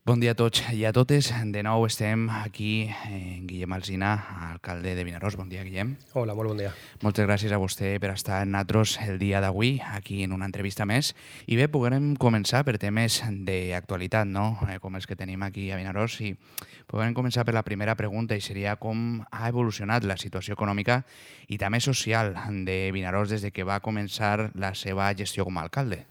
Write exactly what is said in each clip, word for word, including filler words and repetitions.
Bon dia a tots i a totes. De nou estem aquí en Guillem Alsina, alcalde de Vinaròs. Bon dia, Guillem. Hola, molt bon dia. Moltes gràcies a vostè per estar amb nosaltres el dia d'avui, aquí en una entrevista més. I bé, podrem començar per temes d'actualitat, no? Com els que tenim aquí a Vinaròs. I podrem començar per la primera pregunta, i seria com ha evolucionat la situació econòmica i també social de Vinaròs des de que va començar la seva gestió com a alcalde.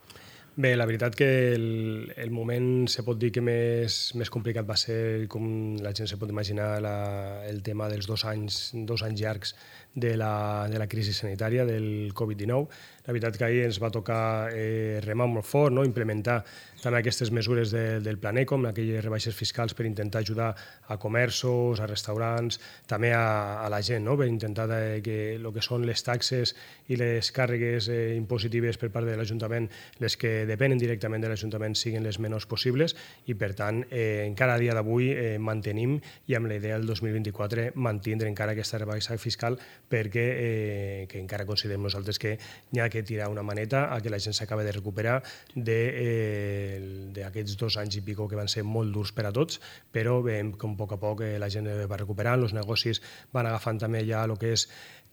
Bé, la veritat que el, el moment se pot dir que més, més complicat va ser, com la gent se pot imaginar, la, el tema dels dos anys, dos anys llargs de la, de la crisi sanitària, del covid dinou. La veritat que ahir ens va tocar eh, remar molt fort, no? Implementar també aquestes mesures de, del Plan Eco, amb aquelles rebaixes fiscals per intentar ajudar a comerços, a restaurants, també a, a la gent, no? Per intentar de, que el que són les taxes i les càrregues eh, impositives per part de l'Ajuntament, les que depenen directament de l'Ajuntament, siguin les menors possibles, i per tant, eh, encara a dia d'avui eh, mantenim, i amb la idea del dos mil vint-i-quatre mantindre encara aquesta rebaixa fiscal, perquè eh, que encara considerem nosaltres que n'hi ha que tirar una maneta a que la gent s'acabi de recuperar d'aquests eh, dos anys i pico que van ser molt durs per a tots, però veiem com a poc a poc eh, la gent va recuperant, els negocis van agafant també ja el que és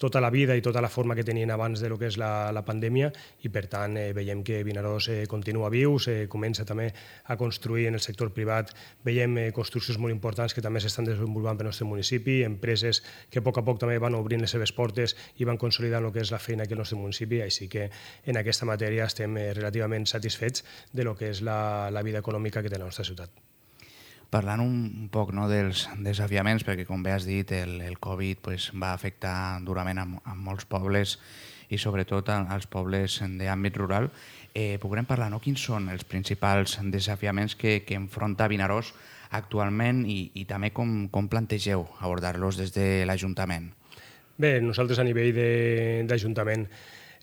tota la vida i tota la forma que tenien abans de lo que és la, la pandèmia, i per tant eh, veiem que Vinaròs eh, continua viu, se comença també a construir en el sector privat, veiem eh, construccions molt importants que també s'estan desenvolupant pel nostre municipi, empreses que a poc a poc també van obrint les seves portes i van consolidant el que és la feina aquí al nostre municipi, així que en aquesta matèria estem eh, relativament satisfets de lo que és la, la vida econòmica que té la nostra ciutat. Parlant un poc, no, dels desafiaments, perquè com bé has dit, el, el Covid pues, va afectar durament a, a molts pobles i sobretot als pobles d'àmbit rural, eh, podrem parlar, no? Quins són els principals desafiaments que, que enfronta Vinaròs actualment i, i també com, com plantegeu abordar-los des de l'Ajuntament? Bé, nosaltres a nivell d'Ajuntament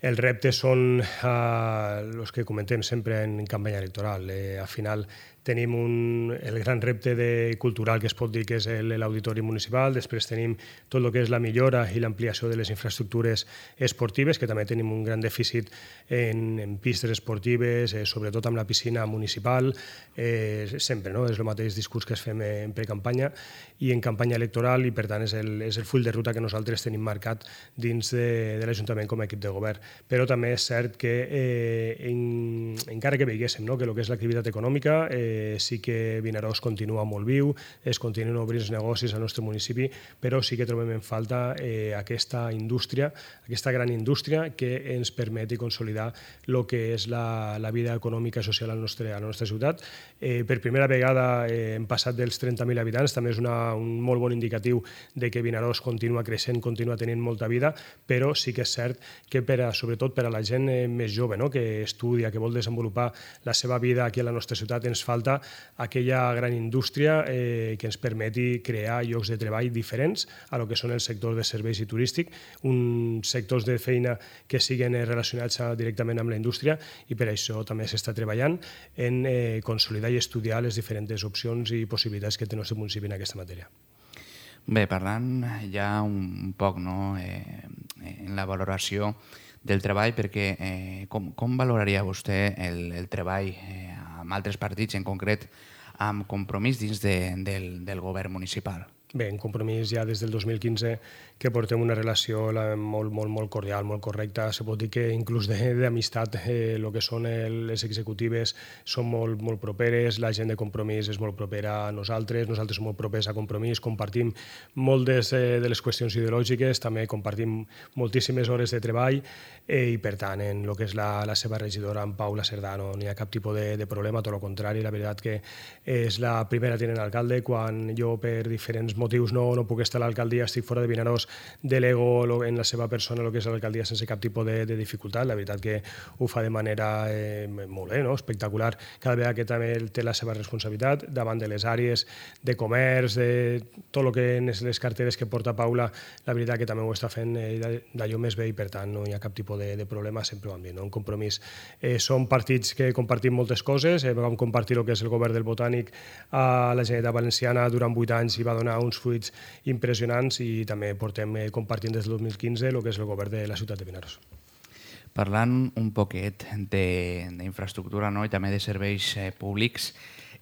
els reptes són els eh, que comentem sempre en campanya electoral. Eh, al final tenim un, el gran repte de, cultural que es pot dir que és l'auditori municipal, després tenim tot el que és la millora i l'ampliació de les infraestructures esportives, que també tenim un gran dèficit en, en pistes esportives, eh, sobretot amb la piscina municipal, eh, sempre, no? És el mateix discurs que es fem en precampanya i en campanya electoral, i per tant és el, és el full de ruta que nosaltres tenim marcat dins de, de l'Ajuntament com a equip de govern. Però també és cert que eh, en, encara que veiéssim, no? Que el que és l'activitat econòmica eh, sí que Vinaròs continua molt viu, es continuen obrint els negocis al nostre municipi, però sí que trobem en falta eh, aquesta indústria, aquesta gran indústria que ens permeti consolidar el que és la, la vida econòmica i social a la nostra, a la nostra ciutat. Eh, per primera vegada eh, hem passat dels trenta mil habitants, també és una, un molt bon indicatiu de que Vinaròs continua creixent, continua tenint molta vida, però sí que és cert que per a, sobretot per a la gent eh, més jove, no? Que estudia, que vol desenvolupar la seva vida aquí a la nostra ciutat, ens falta aquella gran indústria eh, que ens permeti crear llocs de treball diferents a lo que són els sectors de serveis i turístic, uns sectors de feina que siguin relacionats directament amb la indústria, i per això també s'està treballant en eh, consolidar i estudiar les diferents opcions i possibilitats que té el nostre municipi en aquesta matèria. Bé, parlant ja un poc, no, eh, en la valoració del treball, perquè eh, com, com valoraria vostè el, el treball eh, amb altres partits, en concret amb Compromís dins de, del, del govern municipal? Bé, en Compromís ja des del dos mil quinze que portem una relació molt, molt, molt cordial, molt correcta. Se pot dir que inclús d'amistat, eh, el que són les executives són molt, molt properes, la gent de Compromís és molt propera a nosaltres, nosaltres som molt propers a Compromís, compartim moltes eh, de les qüestions ideològiques, també compartim moltíssimes hores de treball eh, i per tant en el que és la, la seva regidora, en Paula Cerdà, no n'hi ha cap tipus de, de problema, tot el contrari. La veritat que és la primera tinent alcalde. Quan jo per diferents motius no, no puc estar a l'alcaldia, estic fora de Vinaròs, delego en la seva persona el que és l'alcaldia sense cap tipus de, de dificultat. La veritat que ho fa de manera eh, molt bé, no? Espectacular, cada vegada que també té la seva responsabilitat davant de les àrees de comerç, de tot el que és les carteres que porta Paula, la veritat que també ho està fent eh, d'allò més bé, i per tant no hi ha cap tipus de, de problema, sempre van bé, no? Un Compromís. Eh, som partits que compartim moltes coses, eh, vam compartir el que és el govern del Botànic a la Generalitat Valenciana durant vuit anys i va donar uns fruits impressionants, i també portem eh, compartint des del dos mil quinze el que és el govern de la ciutat de Vinaròs. Parlant un poquet d'infraestructura, no? I també de serveis eh, públics,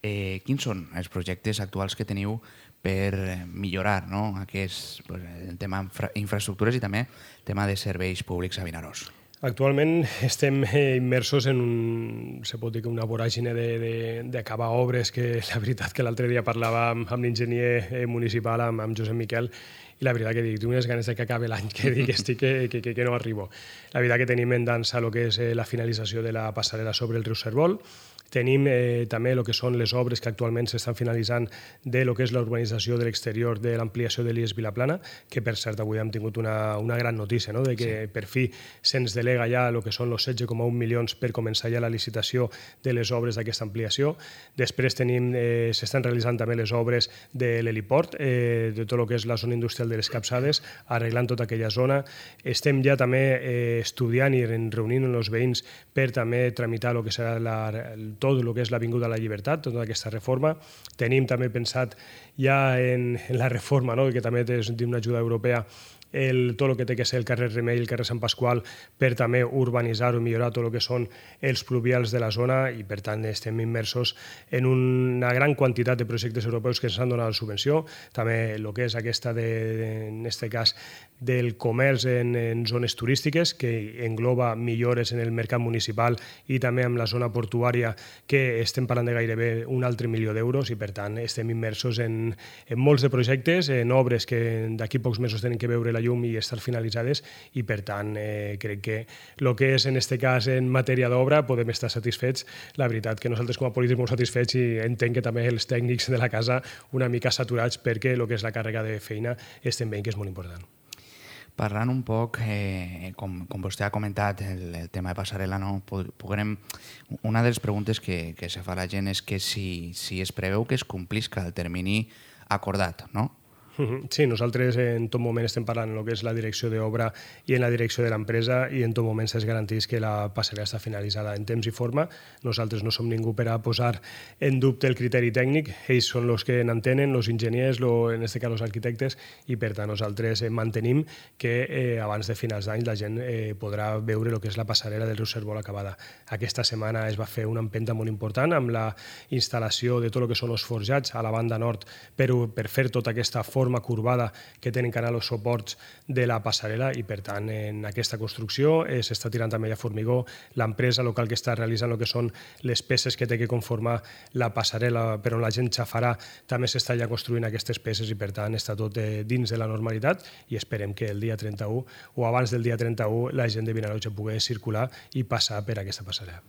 Eh, quins són els projectes actuals que teniu per millorar, no, aquest, pues, el tema infra infraestructures i també el tema de serveis públics a Vinaròs? Actualment estem immersos en un, se pot dir que una voràgine d'acabar obres, que la veritat que l'altre dia parlava amb, amb l'enginyer municipal, amb, amb Josep Miquel, i la veritat que dic, tinc unes ganes de que acabi l'any, que dic estic, que, que, que, que no arribo. La veritat que tenim en dansa el que és la finalització de la passarel·la sobre el riu Servol. Tenim eh, també el que són les obres que actualment s'estan finalitzant de lo que és la urbanització de l'exterior de l'ampliació de l'I E S Vilaplana, que per cert avui hem tingut una, una gran notícia, no? De que sí, per fi se'ns delega ja el que són els setze coma un milions per començar ja la licitació de les obres d'aquesta ampliació. Després tenim, eh, s'estan realitzant també les obres de l'heliport, eh, de tot el que és la zona industrial de les Capçades, arreglant tota aquella zona. Estem ja també eh, estudiant i reunint els veïns per també tramitar el que serà la, el tot el que és l'Avinguda a la Llibertat, tota aquesta reforma. Tenim també pensat ja en, en la reforma, no? Que també té una ajuda europea, el, tot el que té que ser el carrer Remei i el carrer Sant Pasqual, per també urbanitzar o millorar tot el que són els pluvials de la zona, i per tant estem immersos en una gran quantitat de projectes europeus que ens han donat la subvenció. També el que és aquesta, de, de, en aquest cas, del comerç en, en zones turístiques, que engloba millores en el mercat municipal i també amb la zona portuària, que estem parlant de gairebé un altre milió d'euros, i per tant estem immersos en, en molts de projectes, en obres que d'aquí pocs mesos tenen que veure la llum i estar finalitzades, i per tant eh, crec que el que és en aquest cas en matèria d'obra podem estar satisfets. La veritat que nosaltres com a polítics molt satisfets, i entenc que també els tècnics de la casa una mica saturats, perquè el que és la càrrega de feina estem veient que és molt important. Parlant un poc, eh, com, com vostè ha comentat, el, el tema de passarel·la, no? Podrem, una de les preguntes que, que se fa la gent és que si, si es preveu que es complisca el termini acordat, no? Sí, nosaltres en tot moment estem parlant en el que és la direcció d'obra i en la direcció de l'empresa, i en tot moment es garanteix que la passarel·la està finalitzada en temps i forma. Nosaltres no som ningú per a posar en dubte el criteri tècnic, ells són els que n'entenen, els enginyers, lo, en aquest cas els arquitectes, i per tant nosaltres mantenim que eh, abans de finals d'any la gent eh, podrà veure el que és la passarel·la del riu Servol acabada. Aquesta setmana es va fer una empenta molt important amb la instal·lació de tot el que són els forjats a la banda nord per, per fer tota aquesta forma curvada que tenen que anar els suports de la passarel·la, i per tant en aquesta construcció eh, s'està tirant també a formigó. L'empresa local que està realitzant el que són les peces que té que conformar la passarel·la per on la gent xafarà també s'està ja construint aquestes peces, i per tant està tot eh, dins de la normalitat, i esperem que el dia trenta-u o abans del dia trenta-u la gent de Vinaròs ja pugui circular i passar per aquesta passarel·la.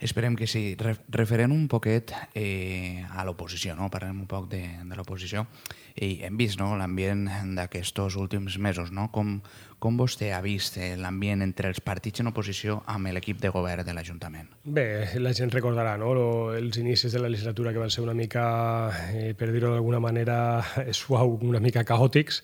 Esperem que sí. Referent un poquet eh, a l'oposició, no? Parlem un poc de, de l'oposició. I hem vist, no, l'ambient d'aquests últims mesos, no? Com, com vostè ha vist l'ambient entre els partits en oposició amb l'equip de govern de l'Ajuntament? Bé, la gent recordarà, no? Els inicis de la legislatura, que van ser una mica, eh, per dir-ho d'alguna manera suau, una mica caòtics,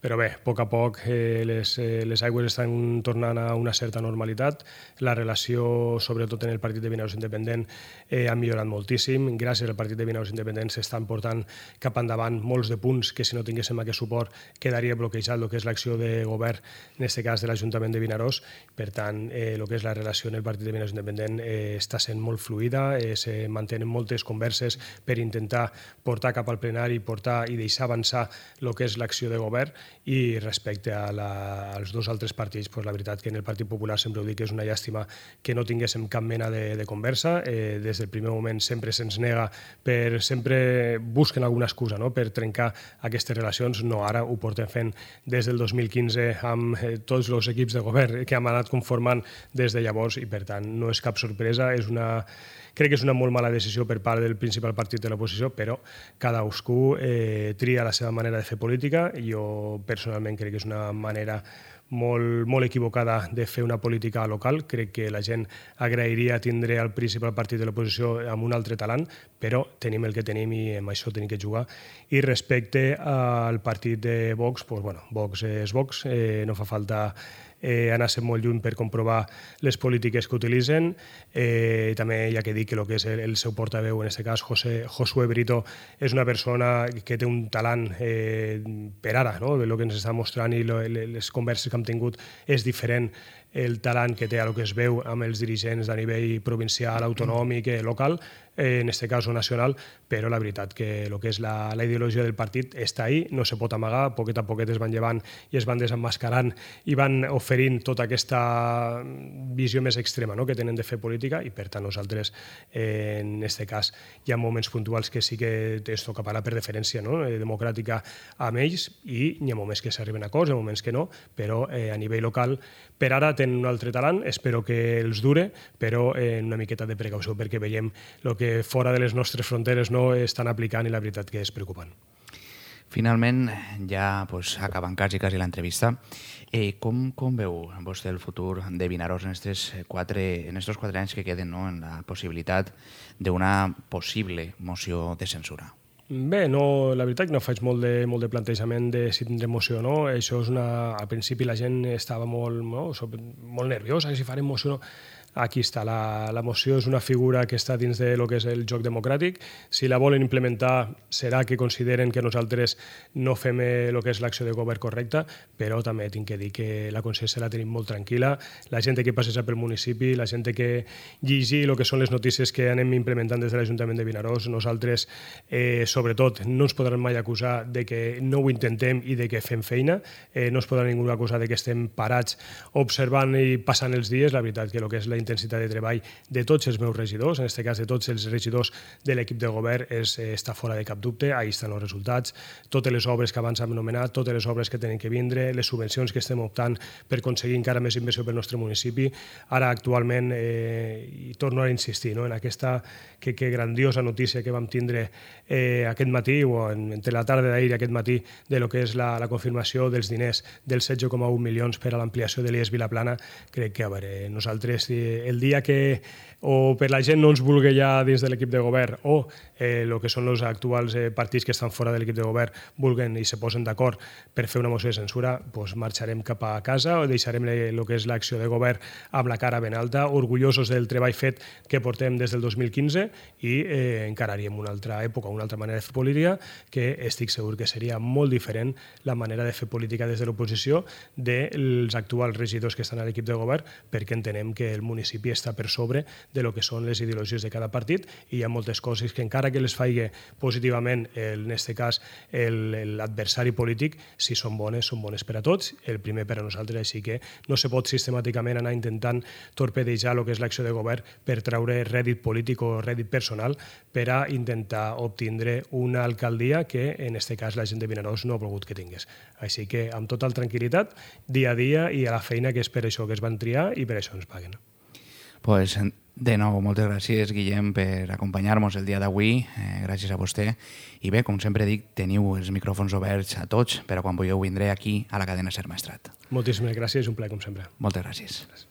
però bé, a poc a poc eh, les, eh, les aigües estan tornant a una certa normalitat. La relació, sobretot en el partit de Vinaròs Independent, eh, ha millorat moltíssim. Gràcies al partit de Vinaròs Independent s'estan portant cap endavant molts de punts que, si no tinguéssim aquest suport, quedaria bloquejat el que és l'acció de govern, en aquest cas de l'Ajuntament de Vinaròs. Per tant, eh, el que és la relació en el partit de Vinaròs Independent eh, està sent molt fluida, eh, se mantenen moltes converses per intentar portar cap al plenari, portar i deixar avançar el que és l'acció de govern. I respecte a la, als dos altres partits, pues la veritat que en el Partit Popular sempre ho dic que és una llàstima que no tinguéssim cap mena de, de conversa. Eh, des del primer moment sempre se'ns nega, per sempre busquen alguna excusa, no?, per trencar aquestes relacions. No, ara ho portem fent des del dos mil quinze amb eh, tots els equips de govern que hem anat conformant des de llavors, i per tant no és cap sorpresa. És una... Crec que és una molt mala decisió per part del principal partit de l'oposició, però cadascú eh, tria la seva manera de fer política. Jo personalment crec que és una manera molt, molt equivocada de fer una política local. Crec que la gent agrairia tindre el principal partit de l'oposició amb un altre talant, però tenim el que tenim i amb això tenim que jugar. I respecte al partit de Vox, doncs, bueno, Vox és Vox, eh, no fa falta eh, anar-se molt lluny per comprovar les polítiques que utilitzen. Eh, també hi ha que dir que el que és el, el seu portaveu, en aquest cas José, Josué Brito, és una persona que té un talant eh, per ara, no? El que ens està mostrant i lo, les converses que hem tingut és diferent el talant que té a el que es veu amb els dirigents a nivell provincial, autonòmic, local. eh, en este cas nacional, però la veritat que el que és la, la ideologia del partit està ahí, no se pot amagar, poquet a poquet es van llevant i es van desemmascarant i van oferint tota aquesta visió més extrema, no?, que tenen de fer política, i per tant nosaltres eh, en aquest cas hi ha moments puntuals que sí que es toca parlar per deferència, no?, democràtica amb ells, i hi ha moments que s'arriben a acords, hi ha moments que no, però eh, a nivell local per ara tenen un altre talent, espero que els dure, però eh, una miqueta de precaució perquè veiem el que fora de les nostres fronteres no estan aplicant i la veritat que és preocupant. Finalment, ja pues, acabant quasi, quasi l'entrevista, eh, com, com veu vostè el futur de Vinaròs en estos quatre, en estos quatre anys que queden, no?, en la possibilitat d'una possible moció de censura? Bé, no, la veritat que no faig molt de, molt de plantejament de si tindrem moció o no. Això és una... Al principi la gent estava molt, no, molt nerviosa, si farem moció o no. Aquí està, la, la moció és una figura que està dins de lo que és el joc democràtic. Si la volen implementar serà que consideren que nosaltres no fem el que és l'acció de govern correcta, però també tinc que dir que la consciència la tenim molt tranquil·la. La gent que passeja pel municipi, la gent que llegir el que són les notícies que anem implementant des de l'Ajuntament de Vinaròs, nosaltres, eh, sobretot, no ens podran mai acusar de que no ho intentem i de que fem feina, eh, no es podrà ningú acusar de que estem parats observant i passant els dies. La veritat que el que és la intensitat de treball de tots els meus regidors, en aquest cas de tots els regidors de l'equip de govern, és, està fora de cap dubte. Ahí estan els resultats, totes les obres que abans hem anomenat, totes les obres que tenen que vindre, les subvencions que estem optant per aconseguir encara més inversió pel nostre municipi. Ara, actualment, eh, i torno a insistir, no?, en aquesta que, que grandiosa notícia que vam tindre eh, aquest matí, o en, entre la tarda d'ahir i aquest matí, de lo que és la, la confirmació dels diners dels setze coma un milions per a l'ampliació de l'I E S Vilaplana. Crec que, a veure, nosaltres, el dia que o per la gent no ens vulgui ja dins de l'equip de govern, o el eh, que són els actuals eh, partits que estan fora de l'equip de govern vulguen i se posen d'acord per fer una moció de censura, doncs marxarem cap a casa o deixarem el que és l'acció de govern amb la cara ben alta, orgullosos del treball fet que portem des del dos mil quinze, i eh, encararíem una altra època, una altra manera de fer política, que estic segur que seria molt diferent la manera de fer política des de l'oposició dels actuals regidors que estan a l'equip de govern, perquè entenem que el municipi està per sobre de lo que són les ideologies de cada partit, i hi ha moltes coses que encara que les faci positivament, en aquest cas, l'adversari polític, si són bones, són bones per a tots, el primer per a nosaltres, així que no se pot sistemàticament anar intentant torpedejar el que és l'acció de govern per treure rèdit polític o rèdit personal per a intentar obtindre una alcaldia que, en aquest cas, la gent de Vinaròs no ha volgut que tingués. Així que, amb total tranquil·litat, dia a dia i a la feina, que és per això que es van triar i per això ens paguen. Pues, de nou, moltes gràcies, Guillem, per acompanyar-nos el dia d'avui. Eh, gràcies a vostè. I bé, com sempre dic, teniu els micròfons oberts a tots, però quan vulgueu vindré aquí a la cadena Ser Maestrat. Moltíssimes gràcies, un plaer, com sempre. Moltes gràcies. gràcies.